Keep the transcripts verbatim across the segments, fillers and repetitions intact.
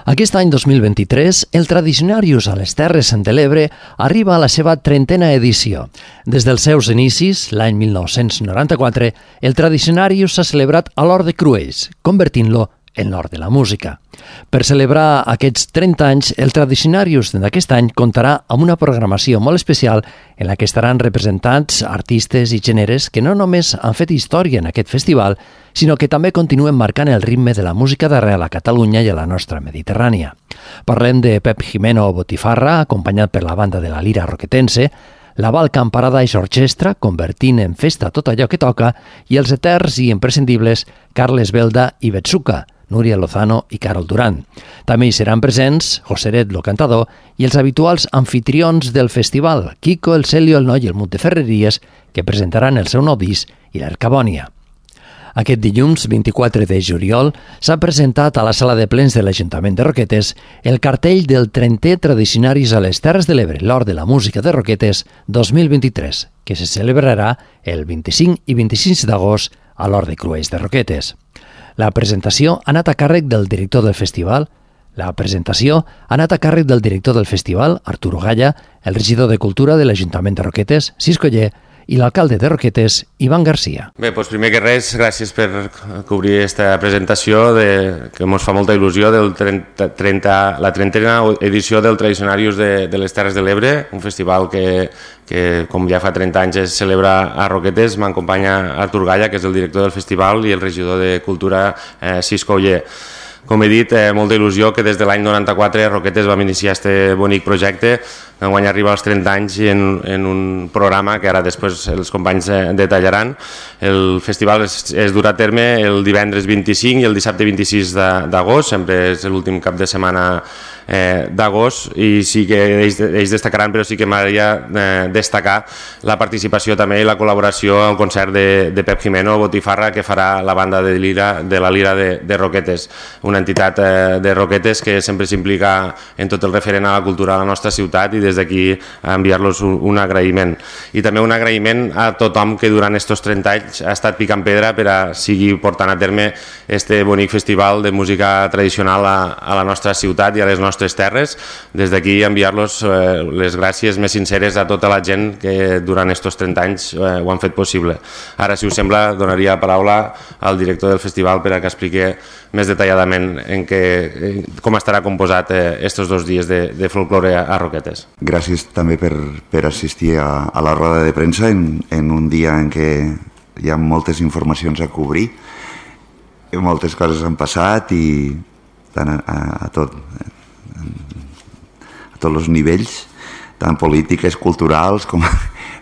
Aquest any dos mil vint-i-tres, el Tradicionarius a les Terres de l'Ebre arriba a la seva trentena edició. Des dels seus inicis, l'any mil nou-cents noranta-quatre, el Tradicionarius s'ha celebrat a l'Hort de Cruells, convertint-lo en l'Hort de la Música. Per celebrar aquests trenta anys, el Tradicionarius d'aquest any comptarà amb una programació molt especial en la que estaran representats artistes i gèneres que no només han fet història en aquest festival, sinó que també continuen marcant el ritme de la música d'arrel a Catalunya i a la nostra Mediterrània. Parlem de Pep Jimeno Botifarra, acompanyat per la banda de la Lira Roquetense, la Balkan Paradise Orchestra, convertint en festa tot allò que toca, i els eterns i imprescindibles Carles Belda i Betsuka, Núria Lozano i Carol Duran. També hi seran presents Joseret, lo cantador, i els habituals anfitrions del festival, Kiko, el Celio, el Noi i el Munt de Ferreries, que presentaran el seu nou disc i l'Ercabònia. Aquest dilluns, vint-i-quatre de juliol, s'ha presentat a la sala de plens de l'Ajuntament de Roquetes el cartell del trentè Tradicionaris a les Terres de l'Ebre, l'Hort de la Música de Roquetes dos mil vint-i-tres, que se celebrarà el vint-i-cinc i vint-i-sis d'agost a l'Hort de Cruells de Roquetes. La presentació ha anat a càrrec del director del festival, La presentació ha anat a càrrec del director del festival, Arturo Galla, el regidor de Cultura de l'Ajuntament de Roquetes, Cisco Ller, i l'alcalde de Roquetes, Ivan Garcia. Bé, doncs primer que res, gràcies per cobrir aquesta presentació de, que ens fa molta il·lusió del trenta, trenta, la trentena edició del Tradicionarius de, de les Terres de l'Ebre, un festival que, que com ja fa trenta anys es celebra a Roquetes. M'acompanya Artur Galla, que és el director del festival, i el regidor de Cultura, eh, Cisco Ller. Com he dit, eh, molta il·lusió que des de l'any noranta-quatre Roquetes vam iniciar aquest bonic projecte. Enguany arriba als trenta anys i en, en un programa que ara després els companys eh, detallaran. El festival es, es durà a terme el divendres vint-i-cinc i el dissabte vint-i-sis d'agost, sempre és l'últim cap de setmana eh, d'agost, i sí que ells, ells destacaran, però sí que m'agradaria eh, destacar la participació també i la col·laboració al concert de, de Pep Jimeno Botifarra, que farà la banda de, Lira, de la Lira de, de Roquetes, una entitat eh, de Roquetes que sempre s'implica en tot el referent a la cultura de la nostra ciutat, i des d'aquí enviar-los un, un agraïment. I també un agraïment a tothom que durant aquests trenta anys ha estat picant pedra per a seguir portant a terme este bonic festival de música tradicional a, a la nostra ciutat i a les nostres terres. Des d'aquí enviar-los eh, les gràcies més sinceres a tota la gent que durant aquests trenta anys eh, ho han fet possible. Ara, si us sembla, donaria la paraula al director del festival per a que expliqui més detalladament en què, en com estarà composat aquests eh, dos dies de, de folklore a, a Roquetes. Gràcies també per, per assistir a, a la roda de premsa en, en un dia en què hi ha moltes informacions a cobrir, moltes coses han passat i tant a, a, a tot a tots els nivells, tant polítiques, culturals, com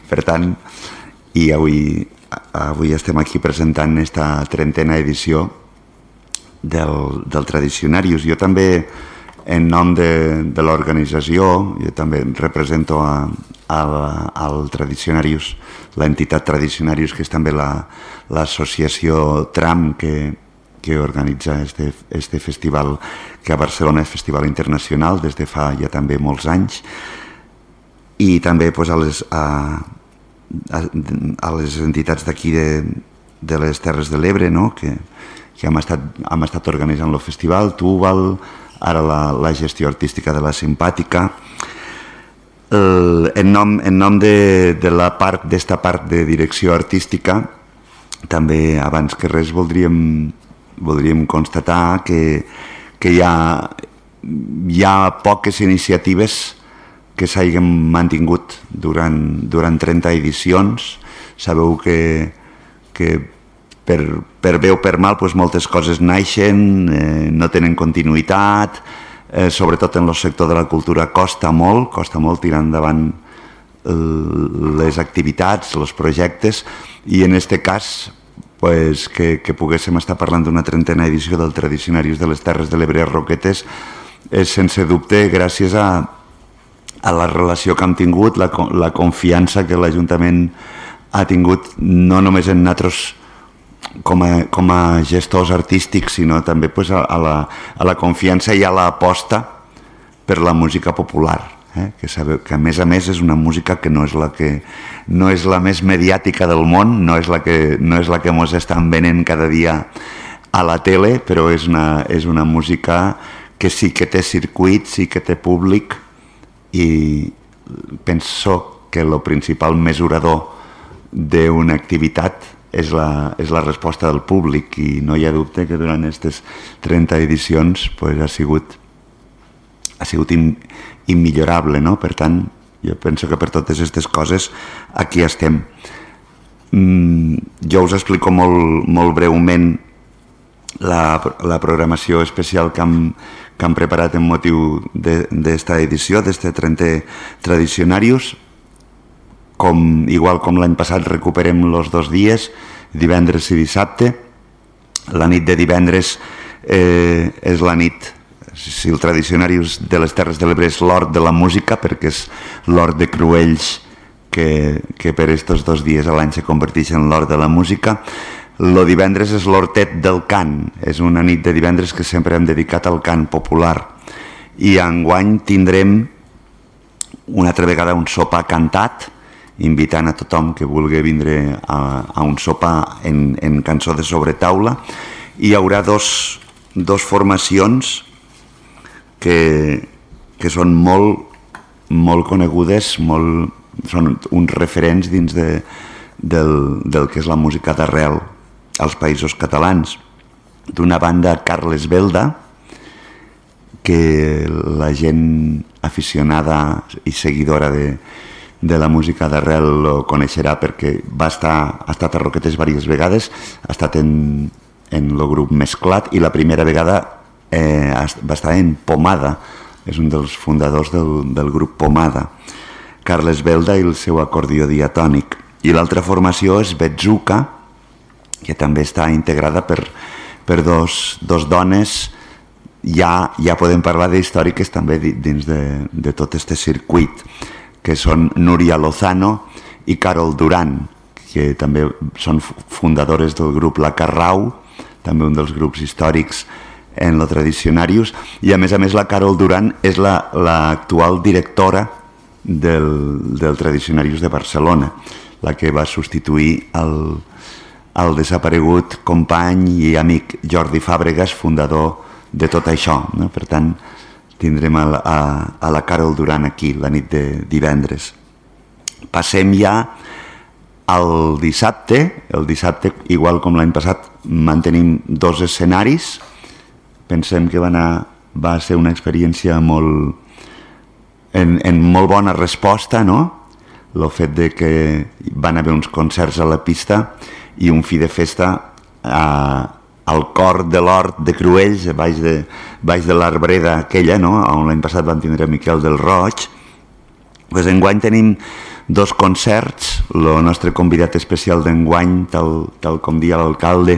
per tant, i avui, avui estem aquí presentant esta trentena edició del, del Tradicionarius. Jo també, en nom de, de l'organització, jo també represento a, a, al Tradicionarius, l'entitat Tradicionarius, que és també l'associació la, Tram, que, que organitza este, este festival, que a Barcelona és festival internacional des de fa ja també molts anys, i també pues, a, les, a, a, a les entitats d'aquí de, de les Terres de l'Ebre, no? que, que hem estat, hem estat organitzant el festival, Túbal, ara la, la gestió artística de la Simpàtica. El, en nom, en nom de, de la part d'esta part de direcció artística, també abans que res voldríem, voldríem constatar que, que hi ha, hi ha poques iniciatives que s'hagin mantingut durant, durant trenta edicions. Sabeu que, que per, per bé o per mal pues, moltes coses naixen, eh, no tenen continuïtat, eh, sobretot en el sector de la cultura costa molt, costa molt tirar endavant eh, les activitats, els projectes, i en aquest cas pues, que, que poguéssim estar parlant d'una trentena edició del Tradicionarius de les Terres de l'Ebre a Roquetes és sense dubte gràcies a, a la relació que hem tingut, la, la confiança que l'Ajuntament ha tingut no només en nosaltres com a, com a gestors artístics, sinó també pues, a, a, la, a la confiança i a l'aposta per la música popular, eh? que sabeu que a més a més és una música que no és la que no és la més mediàtica del món, no és la que no és la que mos estan venent cada dia a la tele, però és una, és una música que sí que té circuit, sí que té públic, i penso que el principal mesurador d'una activitat és la, és la resposta del públic, i no hi ha dubte que durant aquestes trenta edicions pues, ha sigut, ha sigut in, immillorable, no? Per tant, jo penso que per totes aquestes coses aquí estem. Mm, jo us explico molt, molt breument la, la programació especial que hem, que hem preparat en motiu d'esta edició, d'este trentè Tradicionarius. Com, igual com l'any passat recuperem els dos dies, divendres i dissabte. La nit de divendres eh, és la nit, si el Tradicionarius de les Terres de l'Ebre és l'hort de la música, perquè és l'hort de Cruells que, que per estos dos dies a l'any se converteix en l'hort de la música. El divendres és l'hortet del cant, és una nit de divendres que sempre hem dedicat al cant popular, i enguany tindrem una altra vegada un sopar cantat, invitant a tothom que vulgui vindre a, a un sopar en, en cançó de sobretaula. Hi haurà dos, dos formacions que, que són molt, molt conegudes, molt, són uns referents dins de, del, del que és la música d'arrel als Països Catalans. D'una banda, Carles Belda, que la gent aficionada i seguidora de de la música d'arrel lo coneixerà perquè va estar, ha estat a Roquetes diverses vegades, ha estat en, en el grup Mesclat, i la primera vegada eh, va estar en Pomada, és un dels fundadors del, del grup Pomada, Carles Belda i el seu acordió diatònic. I l'altra formació és Betzuca, que també està integrada per, per dos, dos dones, ja, ja podem parlar d'històriques també dins de, de tot este circuit, que són Núria Lozano i Carol Duran, que també són fundadores del grup La Carrau, també un dels grups històrics en lo Tradicionarius, i a més a més la Carol Duran és l'actual la, directora del, del Tradicionarius de Barcelona, la que va substituir el, el desaparegut company i amic Jordi Fàbregas, fundador de tot això, no? Per tant, tindrem a la, a, a la Carol Duran aquí la nit de divendres. Passem ja al dissabte. El dissabte, igual com l'any passat, mantenim dos escenaris. Pensem que va, anar, va ser una experiència molt, en, en molt bona resposta, no? El fet de que van haver uns concerts a la pista i un fi de festa a al cor de l'hort de Cruells, baix de, baix de l'arbreda aquella, no? On l'any passat van tindre Miquel del Roig. Pues enguany tenim dos concerts. El nostre convidat especial d'enguany, tal, tal com dia l'alcalde,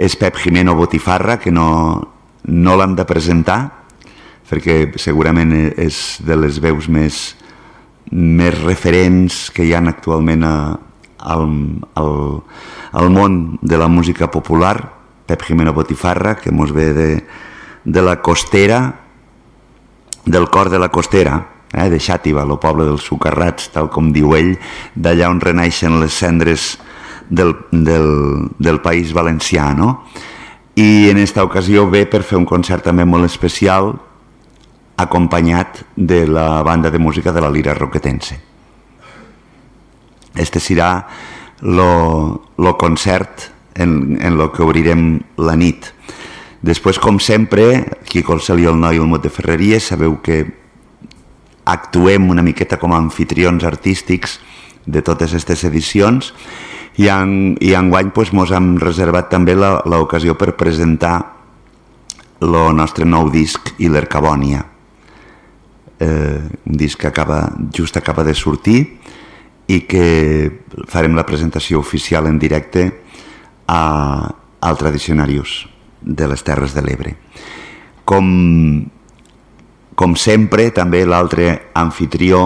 és Pep Jimeno Botifarra, que no, no l'hem de presentar, perquè segurament és de les veus més, més referents que hi ha actualment a, al, al, al món de la música popular. Pep Jimeno Botifarra, que mos ve de, de la Costera, del cor de la Costera, eh, de Xàtiva, el poble dels Socarrats, tal com diu ell, d'allà on renaixen les cendres del, del, del País Valencià, no? I en esta ocasió ve per fer un concert també molt especial, acompanyat de la banda de música de la Lira Roquetense. Este serà lo, lo concert en, en lo que obrirem la nit. Després, com sempre, aquí a Colcel i el Noi el Mot de Ferreries, sabeu que actuem una miqueta com a anfitrions artístics de totes aquestes edicions, i, en, i enguany pues, mos hem reservat també l'ocasió per presentar el nostre nou disc, Ilercabònia. Eh, un disc que acaba, just acaba de sortir i que farem la presentació oficial en directe A, al Tradicionarius de les Terres de l'Ebre. Com, com sempre, també l'altre anfitrió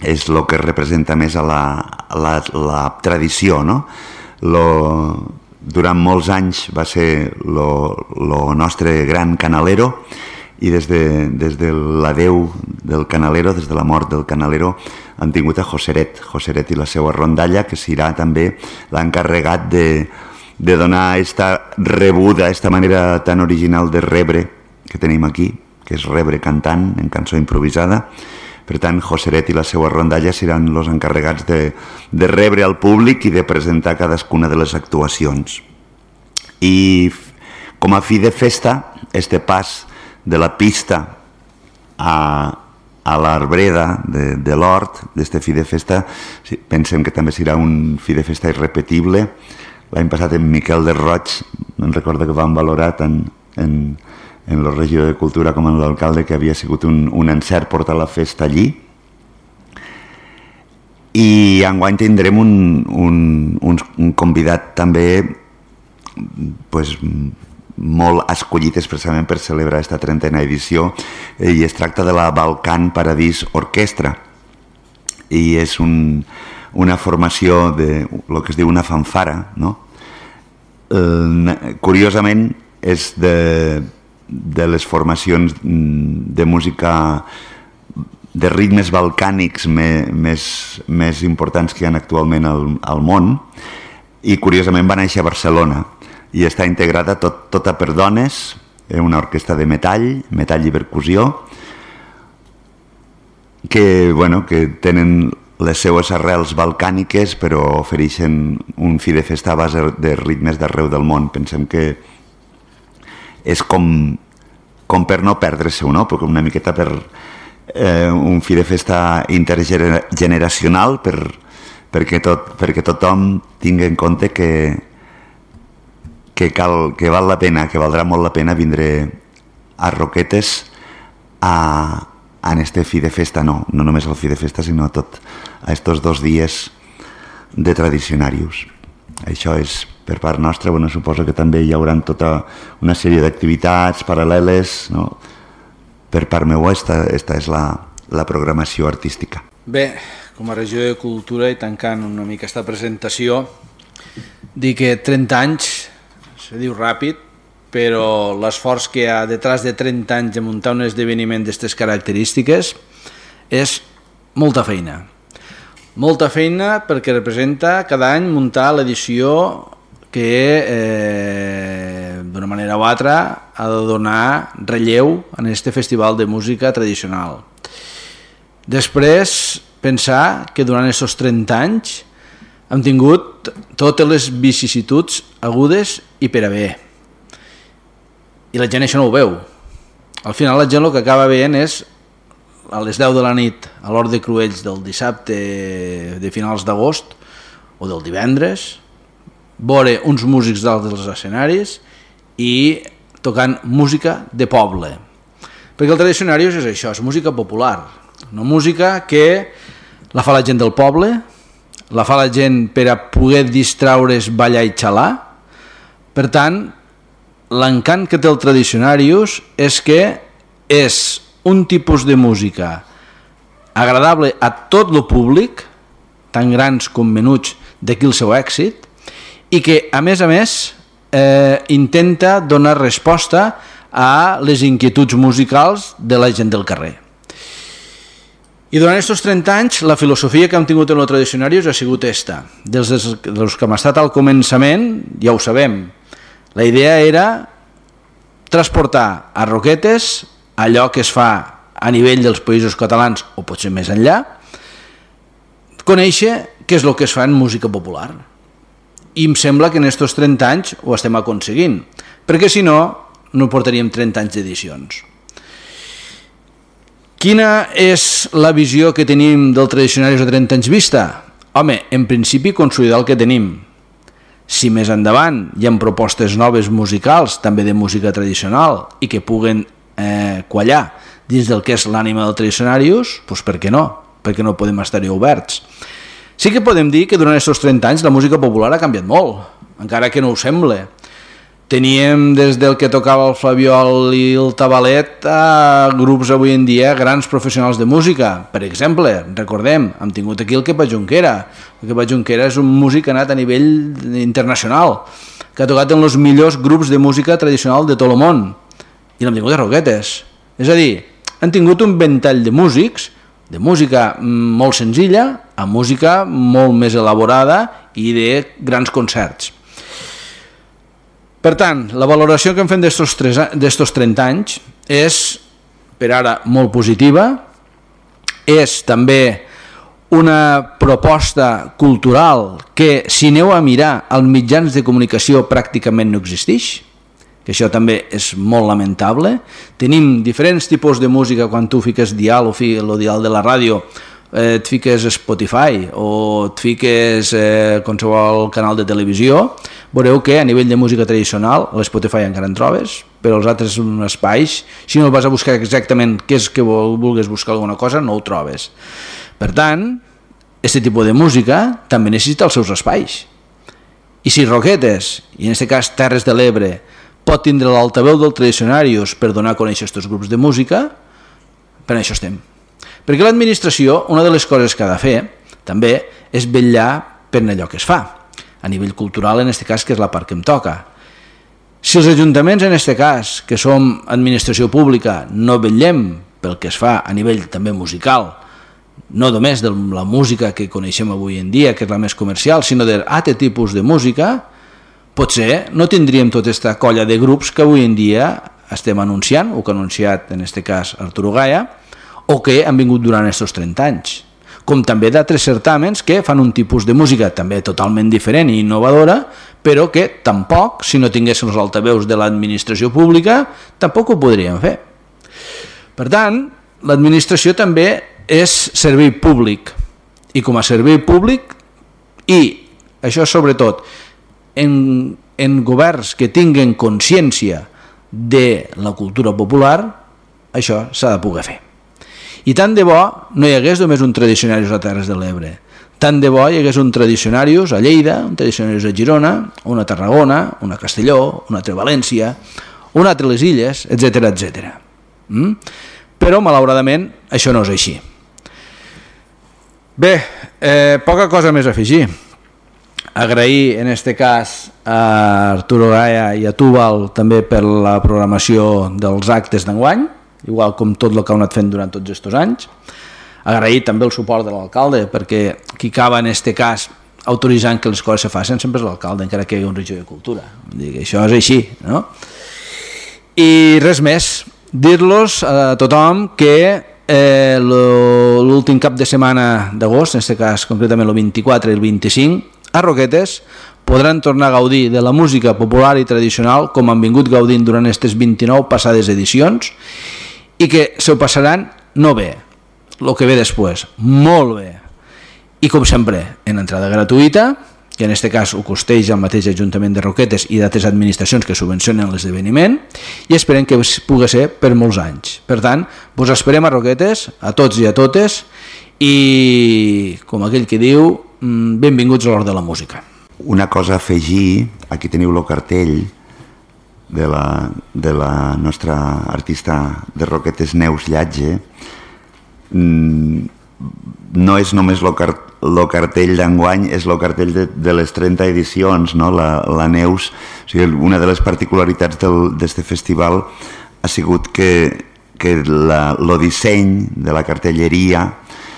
és el que representa més a la, a la, la tradició, no? Lo, durant molts anys va ser el nostre gran canalero, i des de, des de l'adeu del canalero, des de la mort del canalero, han tingut a Joseret, Joseret i la seva rondalla, que serà també l'encarregat de, de donar esta rebuda, esta manera tan original de rebre, que que tenim aquí, que és rebre cantant en cançó improvisada. Per tant, Joseret i la seva rondalla seran els encarregats de, de rebre al públic i de presentar cadascuna de les actuacions. I com a fi de festa, este pas de la pista a, a l'Arbreda de, de l'Hort, d'este fi de festa, pensem que també serà un fi de festa irrepetible. L'any passat en Miquel de Roig, em recordo que vam valorar tant en, en la regió de Cultura com en l'alcalde que havia sigut un, un encert portar la festa allí. I enguany tindrem un, un, un, un convidat també pues, molt escollit expressament per celebrar aquesta trentena edició, i es tracta de la Balkan Paradís Orquestra, i és un, una formació de lo que es diu una fanfara, no? Eh, curiosament és de, de les formacions de música de ritmes balcànics me, més, més importants que hi ha actualment al, al món, i curiosament va néixer a Barcelona i està integrada tot, tota per dones, una orquestra de metall, metall i percussió, que, bueno, que tenen les seues arrels balcàniques però ofereixen un fi de festa a base de ritmes d'arreu del món. Pensem que és com, com per no perdre-se-ho, no? Perquè una miqueta per eh, un fi de festa intergeneracional per, perquè, tot, perquè tothom tingui en compte que que, cal, que val la pena, que valdrà molt la pena vindre a Roquetes a, en este fi de festa, no, no només el fi de festa, sinó tot a estos dos dies de tradicionarius. Això és per part nostra. Bueno, suposo que també hi haurà tota una sèrie d'activitats paral·leles, no? Per part meva, esta, esta és la, la programació artística. Bé, com a regió de cultura i tancant una mica aquesta presentació, dir que trenta anys se diu ràpid, però l'esforç que hi ha detrás de trenta anys de muntar un esdeveniment d'aquestes característiques és molta feina. Molta feina perquè representa cada any muntar l'edició que eh, d'una manera o altra ha de donar relleu en aquest festival de música tradicional. Després, pensar que durant aquests trenta anys hem tingut totes les vicissituds agudes i per a bé. I la gent això no ho veu. Al final la gent el que acaba veient és a les deu de la nit a l'Hort de Cruells del dissabte de finals d'agost o del divendres, veure uns músics dalt dels escenaris i tocant música de poble. Perquè el tradicionarius és això, és música popular, una música que la fa la gent del poble, la fa la gent per a poder distraure's, ballar i xalar. Per tant, l'encant que té el tradicionarius és que és un tipus de música agradable a tot el públic, tant grans com menuts, d'aquí el seu èxit, i que, a més a més, eh, intenta donar resposta a les inquietuds musicals de la gent del carrer. I durant aquests trenta anys la filosofia que hem tingut en el tradicionarius ha sigut esta. Dels, dels que hem estat al començament, ja ho sabem, la idea era transportar a Roquetes allò que es fa a nivell dels països catalans o potser més enllà, conèixer què és el que es fa en música popular. I em sembla que en aquests trenta anys ho estem aconseguint, perquè si no, no portaríem trenta anys d'edicions. Quina és la visió que tenim del tradicionarius a trenta anys vista? Home, en principi consolidar el que tenim. Si més endavant hi ha propostes noves musicals, també de música tradicional, i que puguen eh, quallar dins del que és l'ànima del tradicionarius, doncs per què no? Per què no podem estar-hi oberts? Sí que podem dir que durant aquests trenta anys la música popular ha canviat molt, encara que no ho sembla. Teníem des del que tocava el flabiol i el tabalet a grups avui en dia grans professionals de música. Per exemple, recordem, hem tingut aquí el Kepa Junquera. El Kepa Junquera és un músic que ha anat a nivell internacional, que ha tocat en els millors grups de música tradicional de tot el món. I l'hem tingut a Roquetes. És a dir, han tingut un ventall de músics, de música molt senzilla a música molt més elaborada i de grans concerts. Per tant, la valoració que hem fet d'estos trenta anys és, per ara, molt positiva, és també una proposta cultural que, si aneu a mirar, als mitjans de comunicació pràcticament no existeix, que això també és molt lamentable. Tenim diferents tipus de música. Quan tu fiques dial o el dial de la ràdio, eh, et fiques Spotify o et fiques eh, qualsevol canal de televisió, veureu que a nivell de música tradicional a l'Spotify encara en trobes, però els altres espais, si no vas a buscar exactament què és que vulguis buscar alguna cosa, no ho trobes. Per tant, aquest tipus de música també necessita els seus espais. I si Roquetes, i en aquest cas Terres de l'Ebre, pot tindre l'altaveu del Tradicionarius per donar a conèixer aquests grups de música, per això estem. Perquè l'administració, una de les coses que ha de fer, també, és vetllar per allò que es fa, a nivell cultural, en aquest cas, que és la part que em toca. Si els ajuntaments, en aquest cas, que som administració pública, no vetllem pel que es fa a nivell també musical, no només de la música que coneixem avui en dia, que és la més comercial, sinó d'altre tipus de música, potser no tindríem tota aquesta colla de grups que avui en dia estem anunciant, o que ha anunciat en aquest cas Arturo Gaia, o que han vingut durant aquests trenta anys. Com també d'altres certàmens que fan un tipus de música també totalment diferent i innovadora, però que tampoc, si no tinguessin els altaveus de l'administració pública, tampoc ho podríem fer. Per tant, l'administració també és servei públic, i com a servei públic, i això sobretot en, en governs que tinguen consciència de la cultura popular, això s'ha de poder fer. I tant de bo no hi hagués només un Tradicionarius a Terres de l'Ebre, tant de bo hi hagués un Tradicionarius a Lleida, un Tradicionarius a Girona, una a Tarragona, una a Castelló, una altra a València, una altra a les Illes, etcètera, etcètera. Mm? Però malauradament això no és així. Bé, eh, poca cosa més a afegir. Agrair en aquest cas a Arturo Gaia i a Túbal també per la programació dels actes d'enguany, igual com tot el que ha anat fent durant tots aquests anys. Agrair també el suport de l'alcalde, perquè qui acaba en aquest cas autoritzant que les coses se facin sempre és l'alcalde, encara que hi hagi un regidor de cultura. Això és així, no? I res més, dir-los a tothom que eh, l'últim cap de setmana d'agost, en aquest cas concretament el vint-i-quatre i el vint-i-cinc, a Roquetes podran tornar a gaudir de la música popular i tradicional com han vingut gaudint durant aquestes vint-i-nou passades edicions, i que se ho passaran no bé, el que ve després, molt bé. I com sempre, en entrada gratuïta, que en aquest cas ho costeix el mateix Ajuntament de Roquetes i d'altres administracions que subvencionen l'esdeveniment, i esperem que pugui ser per molts anys. Per tant, vos esperem a Roquetes, a tots i a totes, i com aquell que diu, benvinguts a l'hora de la música. Una cosa a afegir, aquí teniu el cartell de la, de la nostra artista de Roquetes, Neus Llatge. No és només el car cartell d'enguany, és el cartell de, de les trenta edicions, no? La, la Neus, o sigui, una de les particularitats d'aquest festival ha sigut que, que la, el disseny de la cartelleria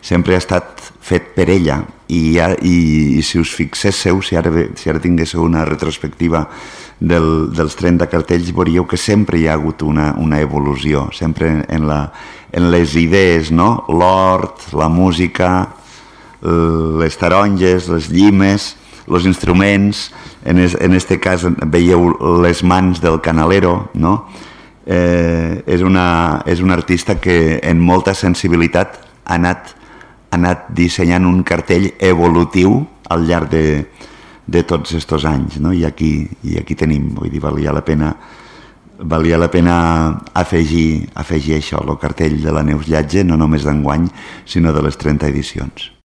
sempre ha estat fet per ella, i, ja, i, i si us fixéssiu, si ara, si ara tinguéssiu una retrospectiva del, dels trenta cartells, veuríeu que sempre hi ha hagut una, una evolució, sempre en, la, en les idees, no? L'hort, la música, les taronges, les llimes, els instruments, en aquest cas veieu les mans del canalero, no? Eh, és, una, és un artista que en molta sensibilitat ha anat ha anat dissenyant un cartell evolutiu al llarg de, de tots aquests anys, no? I aquí, i aquí tenim, vull dir, valia la pena, valia la pena afegir, afegir això, el cartell de la Neus Llatge, no només d'enguany, sinó de les trenta edicions.